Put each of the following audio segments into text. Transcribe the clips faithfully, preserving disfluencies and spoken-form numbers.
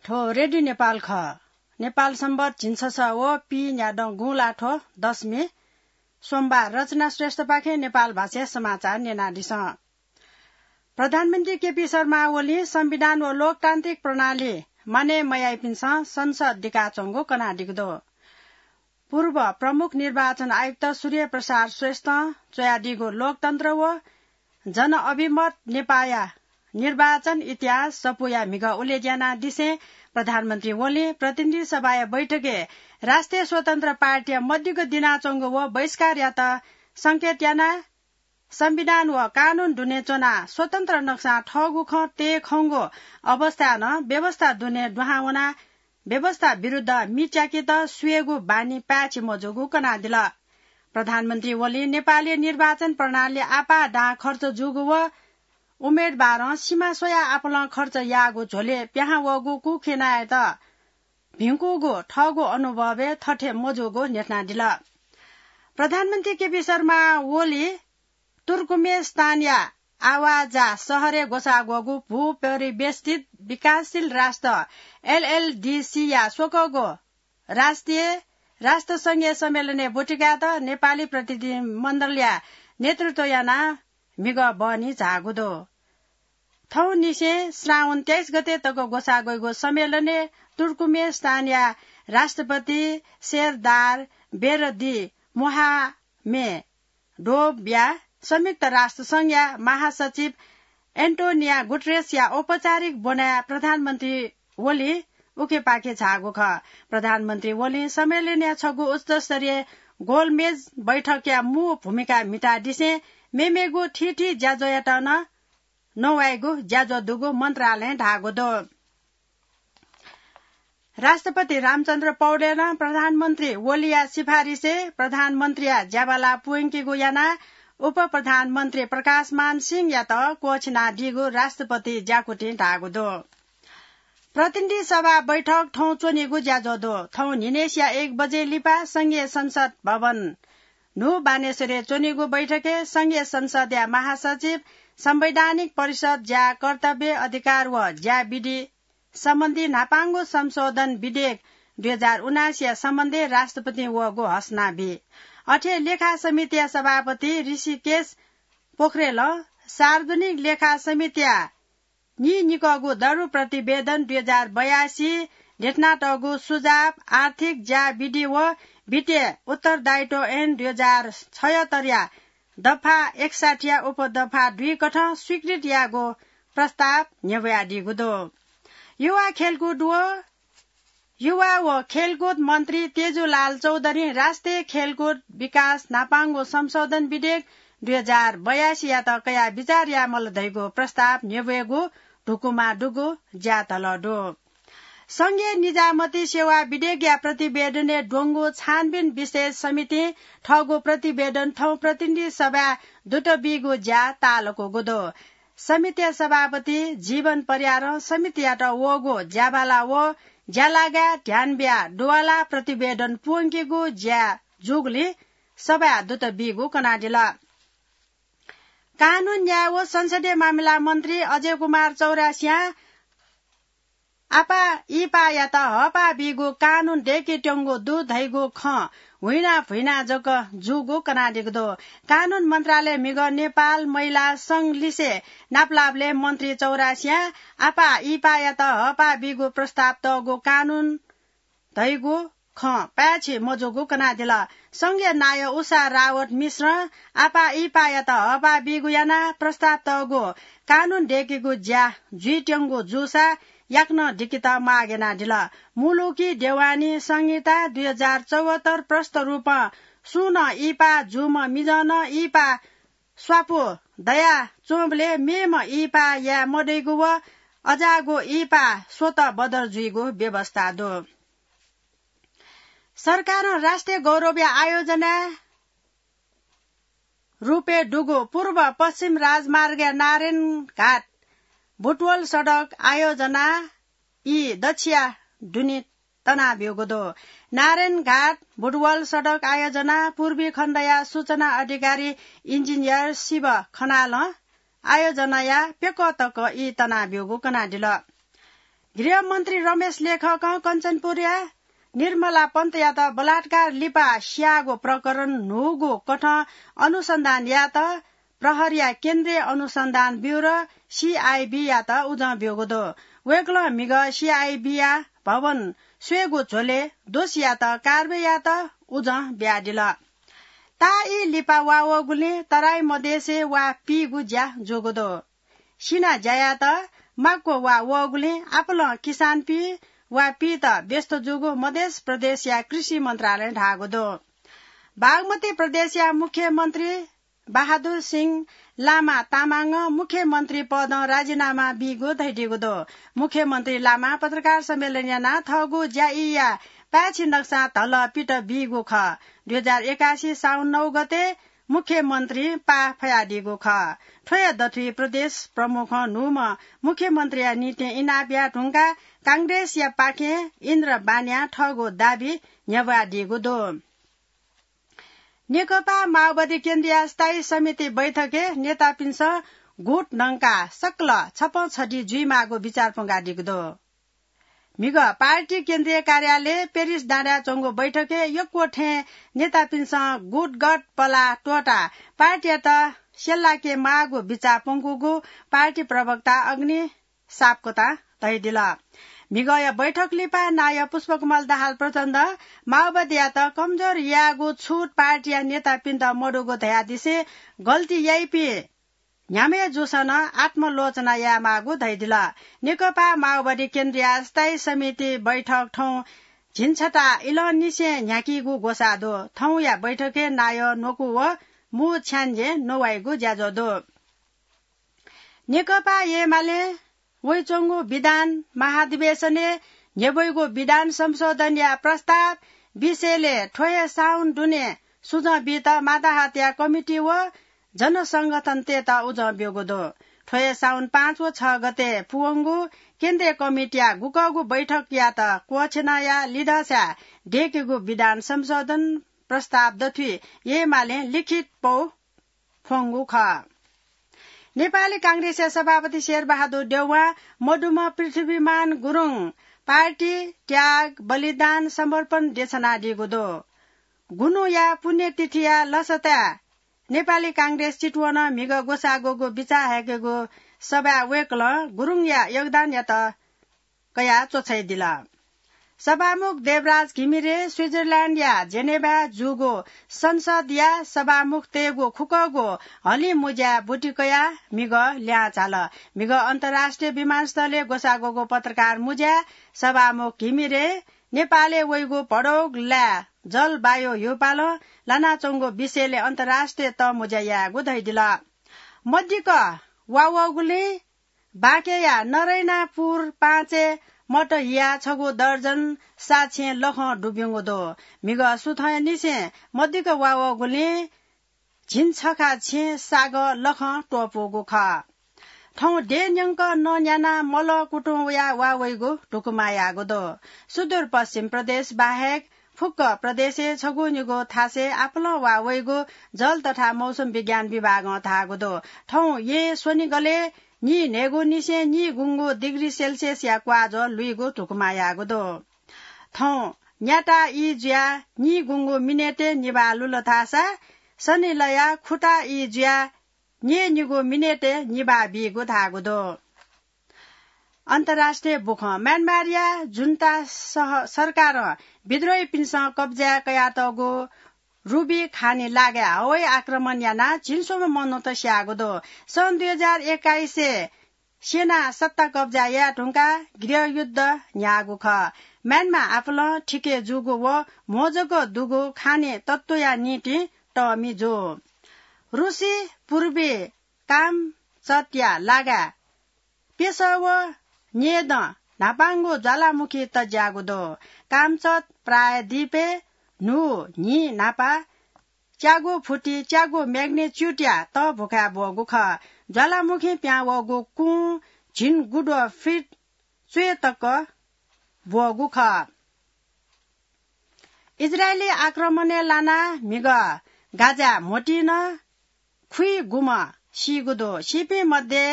थ्व रेडियो नेपाल खः। नेपाल संवत झिंछसः व पीन्यादँ गुंलाथ्व दशमी सोमबार। रचना श्रेष्ठपाखें नेपाल भाषाया समाचार न्यनादिसँ। प्रधानमन्त्री केपी शर्मा ओलीं संविधान व लोकतान्त्रिक प्रणाली मानय् मयाइपिन्सं संसद दिकाच्वंगु कनादीगु दु। पूर्व प्रमुख निर्वाचन आयुक्त सूर्य प्रसाद श्रेष्ठं च्वयादीगु लोकतन्त्र व जनअभिमत नेपाःया निर्वाचन इतिहास सफूया म्हिगः उल्लेख यानादिसें प्रधानमन्त्री ओलीं प्रतिनिधि सभाया बैठकय् राष्ट्रिय स्वतन्त्र पार्टीया मदिक्क दिनाच्वंगु व बहिष्कार यात संकेत यानाः संविधान व कानून दुने च्वनाः स्वतन्त्र नक्सां थःगु खँ तये खंगु अवस्थाय् नं व्यवस्था दुने दुहां वनाः व्यवस्था विरुद्ध मि च्याकेत स्वयेगु बानी पाय्छि मजूगु कनादिल। प्रधानमन्त्री ओलीं नेपालय् निर्वाचन प्रणालीइ आपाः दां खर्च जूगु व उम्मेदवारं सिमा स्वयाः आपालं खर्च याःगु झ्वलय् पिहां वःगु कुखेनायात भिंकूगु थःगु अनुभवय् थथे मजूगु न्ह्यथनादिल। प्रधानमन्त्री केपी शर्मा ओली तुर्कमेस्तानया आवाजा शहरय् ग्वसाः ग्वःगु भूपरिवेष्ठित विकासशील राष्ट्र, एलएलडीसीया स्वकःगु राष्ट्रिय राष्ट्रसंघीय सम्मेलनय् ब्वति कायेत नेपाली प्रतिनिधिमण्डलया नेतृत्व यानाः म्हिगः बहनी झाःगु दु। थौंनिसें श्रावण तेइस गते तक ग्वसाः ग्वइगु सम्मेलनय् तुर्कमेस्तानया राष्ट्रपति सेरदार बेरदी मोहामे डोभया, संयुक्त राष्ट्रसंघया महासचिव एन्टोनिया गुटरेसया औपचारिक ब्वनाय् प्रधानमन्त्री ओली उखेपाखे झाःगु खः। प्रधानमन्त्री ओलीं सम्मेलनया छगू उच्चस्तरीय गोलमेज बैठकया मू भूमिका म्हितादिसें मेमेगु थीथी ज्याझ्वःयात नं नवाइगु ज्याझ्वः दुगु मन्त्रालयं धाःगु दु। राष्ट्रपति रामचन्द्र पौडेलं प्रधानमन्त्री ओलीया सिफारिसय् प्रधानमन्त्रीया ज्याबाला पूवंकेगु यानाः उपप्रधानमन्त्री प्रकाशमान सिंहयात क्वःछिनादीगु राष्ट्रपति ज्याकुथिं धाःगु दु। प्रतिनिधि सभा बैठक थौं च्वनीगु ज्याझ्वः दु। थौं न्हिनय्सिया एक बजे लिपा संघीय संसद भवन न्हू बानेश्वरय् च्वनीगु बैठकय् संघीय संसदया महासचिव, संवैधानिक परिषद ज्या, कर्तव्य, अधिकार व ज्या विधि सम्बन्धी न्हापांगु संशोधन विधेयक दुई हजार उनासीया सम्बन्धय् राष्ट्रपतिं वःगु हसना बी। अथे लेखा समितिया सभापति ऋषिकेश पोखरेलं सार्वजनिक लेखा समितिया नीनिकःगु दरु प्रतिवेदन दुई हजार बयासी, न्ह्यथनातःगु सुझाव, आर्थिक ज्या विधि व वित्तीय उत्तरदायित्व ऐन दुई हजार छयत्तरया दफा एकसाठीया उपदफा दुई कथं स्वीकृत याःगु प्रस्ताव न्ह्यब्वयादीगु दु। युवा खेलकुद व युवा व खेलकुद मन्त्री तेजुलाल चौधरीं राष्ट्रिय खेलकुद विकास न्हापांगु संशोधन विधेयक दुई हजार बयासीयात कयाः विचार यायेमाल धइगु प्रस्ताव न्ह्यब्वयेगु धुकुमा दुगु ज्यातल दु। संघीय निजामती सेवा विधेयकया प्रतिवेदनय् द्वंगु छानबिन विशेष समितिं थःगु प्रतिवेदन थौं प्रतिनिधि सभाय् दुत बीगु ज्या ताःलाकूगु दु। समितिया सभापति जीवन परियारं समितियात वःगु ज्याबाला व ज्यालागाय् ध्यान बियाः दुवाला प्रतिवेदन पूवंकेगु ज्या जूगुलिं सभाय् दुत बीगु कनादिल। कानून न्याय व संसदीय मामिला मन्त्री अजय कुमार चौरासियां आपाः इपाःयात हःपाः बीगु कानून दय्केत्यंगु दु धइगु खँ हुइना भुइना जक जूगु कनादीगु दु। कानून मन्त्रालय म्हिगः नेपाल महिला संघ लिसे नापलाःबलय् मन्त्री चौरासियां आपाः इपाःयात हःपाः बीगु प्रस्ताव तःगु कानून धइगु खँ पाय्छि मजूगु कनादिल। संघीय नायः उषा रावत मिश्रं आपाः इपाःयात हःपाः बीगु यानाः प्रस्ताव तःगु कानून दय्केगु ज्या जुइत्यंगु जूसा याकनं दिकेत माग यानादिल। मुलुकी देवानी संहिता दुई हजार चौहत्तर प्रष्ट रूपं सुं नं इपाः जूम्ह मिजं नं इपाः स्वापू दयाच्वंबलय् मेम्ह इपाः याये मदइगु व अजाःगु इपाः स्वतः बदर जुइगु व्यवस्था दु। सरकारं राष्ट्रिय गौरवया आयोजना रूपय् दुगु पूर्व पश्चिम राजमार्गया नारायणघाट बुटवल सडक आयोजना ई दच्छिया दुने तनाब्यूगु दु। नारायणघाट बुटवल सडक आयोजना पूर्वी खण्डया सूचना अधिकारी इन्जिनियर शिव खनालं आयोजनाया प्यकः तक ई तनाब्यूगु कनादिल। गृहमन्त्री रमेश लेखकं कञ्चनपुरया निर्मला पन्तयात बलात्कार लिपा स्याःगु प्रकरण न्हूगु कथं अनुसन्धान यायेत प्रहरीया केन्द्रीय अनुसन्धान ब्यूरो, सीआईबीयात उजं ब्यूगु दु। वय्कलं म्हिगः सीआईबीया भवन स्वयेगु झ्वलय् दोषीयात कारवाही यायेत उजं बियादिल। ताःई लिपा वा वःगुलिं तराई मधेसय् वा पीगु ज्या जूगु दु। सिना ज्या यायेत माक्व वा वःगुलिं आपालं किसानपिं वा पीत व्यस्त जूगु मधेस प्रदेशया कृषि मन्त्रालयं धाःगु दु। बागमती प्रदेशया मुख्यमन्त्री बहादुर सिंह लामा तामाङं मुख्यमन्त्री पदं राजीनामा बीगु धयादीगु दु। मुख्यमन्त्री लामां पत्रकार सम्मेलन यानाः थःगु ज्याईया पाय्छि नक्सां धलः पित बीगु खः। दुई हजार एकासी साउन नौ गते मुख्यमन्त्री पाः फयादीगु खः। थ्व हे दथुइ प्रदेश प्रमुखं न्हूम्ह मुख्यमन्त्रीया निंतिं इनाप याये धुंकाः कांग्रेसया पाखें इन्द्र बानियां थःगु दाबी न्ह्यब्वादीगु दु। नेकपा माओवादी केन्द्रीय स्थायी समिति बैठकय् नेतापिन्सं गुट न्हंकाः सकल छपं छधी जुइमाःगु बिचाः प्वंकादीगु दु। म्हिगः पार्टी केन्द्रीय कार्यालय पेरिस डाँडाय् च्वंगु बैठकय् यक्व थें नेतापिन्सं गुटगत पलाः त्वःताः पार्टीयात स्यलाके माःगु बिचाः प्वंकूगु पार्टी प्रवक्ता अग्नि सापकोटां धयादिल। म्हिगःया बैठक लिपा नायः पुष्पकमल दाहाल प्रचण्डं माओवादीयात कमजोर यायेगु छुट पार्टीया नेतापिन्त मदुगु धयादिसें गल्ती याइपिं न्ह्याम्ह जूसां नं आत्मलोचना यायेमाःगु धयादिल। नेकपा माओवादी केन्द्रीय स्थायी समिति बैठक थौं झिंछता इलंनिसें न्ह्याकीगु ग्वसाः दु। थौंया बैठकय् नायः न्वकू व मू छ्याञ्जे नवाइगु ज्याझ्वः दु। नेकपा एमालें वइच्वंगु विधान महाधिवेशनय् न्ह्यब्वइगु विधान संशोधनया प्रस्ताव विषयलय् थ्व हे साउन दुने सुझं बीत माताहतया कमिटी व जनसंगठनतय्त उजं ब्यूगु दु। थ्व हे साउन पाँच व छ गते पूवंगु केन्द्रीय कमिटीया गुकःगु बैठकयात क्वःछिनाया लिधःसाय् दय्केगु विधान संशोधन प्रस्ताव दथुइ एमालें लिखित पौ फ्वंगु खः। नेपाली कांग्रेसया सभापति शेरबहादुर देउवां मदुम्ह पृथ्वीमान गुरुङ पार्टी, त्याग, बलिदान, समर्पण देछानादीगु दु। गुनुया पुण्यतिथिया लसताय् नेपाली कांग्रेस चितवनं म्हिगः ग्वसाः ग्वःगु बिचाः हाय्केगु सभाय् वय्कलं गुरुङया योगदानयात कयाः च्वछाइदिल। सभामुख देवराज घिमिरे स्विजरल्याण्डया जेनेभाय् जूगु संसदया सभामुखतय्गु खुकःगु हलिं मुज्याय् बुति कयाः म्हिगः ल्याहां झाल। म्हिगः अन्तर्राष्ट्रिय विमानस्थलय् ग्वसाः ग्वःगु पत्रकार मुज्याय् सभामुख घिमिरे नेपालय् वइगु भडौग लाय् जलवायु ह्यूपालं लानाच्वंगु विषयलय् अन्तर्राष्ट्रिय तःमुँज्या यायेगु धयादिल। मदिक्क वा वःगुलिं बाँकेया नरैनापुर पाँचय् मत हियाः छगू दर्जन साक्षें लखं दुब्यूगु दु। म्हिगः सुथंनिसें मदिक्क वा वःगुलिं झिंछखा छेँ सागः लखं त्वःपूगु खः। थौं देय् न्यंक नँ न्यानाः मलः कुतुं वयाः वा वइगु धुकुमा याःगु दु। सुदूरपश्चिम प्रदेश बाहेक फुक्क प्रदेशय् छगू निगू थासय् आपालं वा वइगु जल तथा मौसम विज्ञान विभागं धाःगु दु। थौं येँ स्वनिगलय् नीन्हय्गुनिसें नीगुंगू डिग्री सेल्सियसया क्वाःज्वः लुइगु धुकुमा याःगु दु। थौं न्याता ई जुयाः नीगुंगू मिनेटय् निभाः लुल धाःसा सनिलया खुता ई जुयाः न्यय्निगू मिनेटय् निभाः बीगु धाःगु दु। अन्तर्राष्ट्रिय बुखँ। म्यानमारया जुन्ता सह-, सरकारं विद्रोहीपिन्सं कब्जाय् कयातःगु रुबी खानी लागाय् हवाई आक्रमण यानाः झिंस्वम्ह मनूत स्याःगु दु। सन् दुई हजार एक्काइसय् सेनां सत्ता कब्जा याये धुंकाः गृहयुद्ध न्ह्याःगु खः। म्यानमार आपालं थिके जूगु व म्हो जक दुगु खानी तत्वया निंतिं तःमि जू। रुसी पूर्वी कामचतया लागाय् पेसः व न्येदँ न्हापांगु ज्वालामुखी तज्याःगु दु। कामचत प्रायद्वीपय् न्हू न्हि न्हापा च्यागू फुति च्यागू म्याग्निच्युडया तःभुखाय् ब्वःगु खः। ज्वालामुखीं पिहां वःगु कुं झिंगुद्वः फिट च्वय् तक ब्वःगु खः। इजरायली आक्रमणय् लानाः म्हिगः गाजाय् म्होतिं नं खुइगुम्ह सीगु दु। सीपिं मध्ये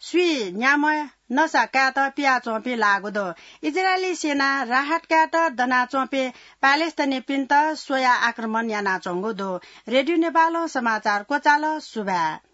स्वीन्याम्ह नसा कायेत पियाच्वंपिं लाःगु दु। इजरायली सेनां राहत कायेत दनाच्वंपिं प्यालेस्टाइनीपिन्त स्वयाः आक्रमण यानाच्वंगु दु। रेडियो नेपालं समाचार क्वचाल। सुभाय्।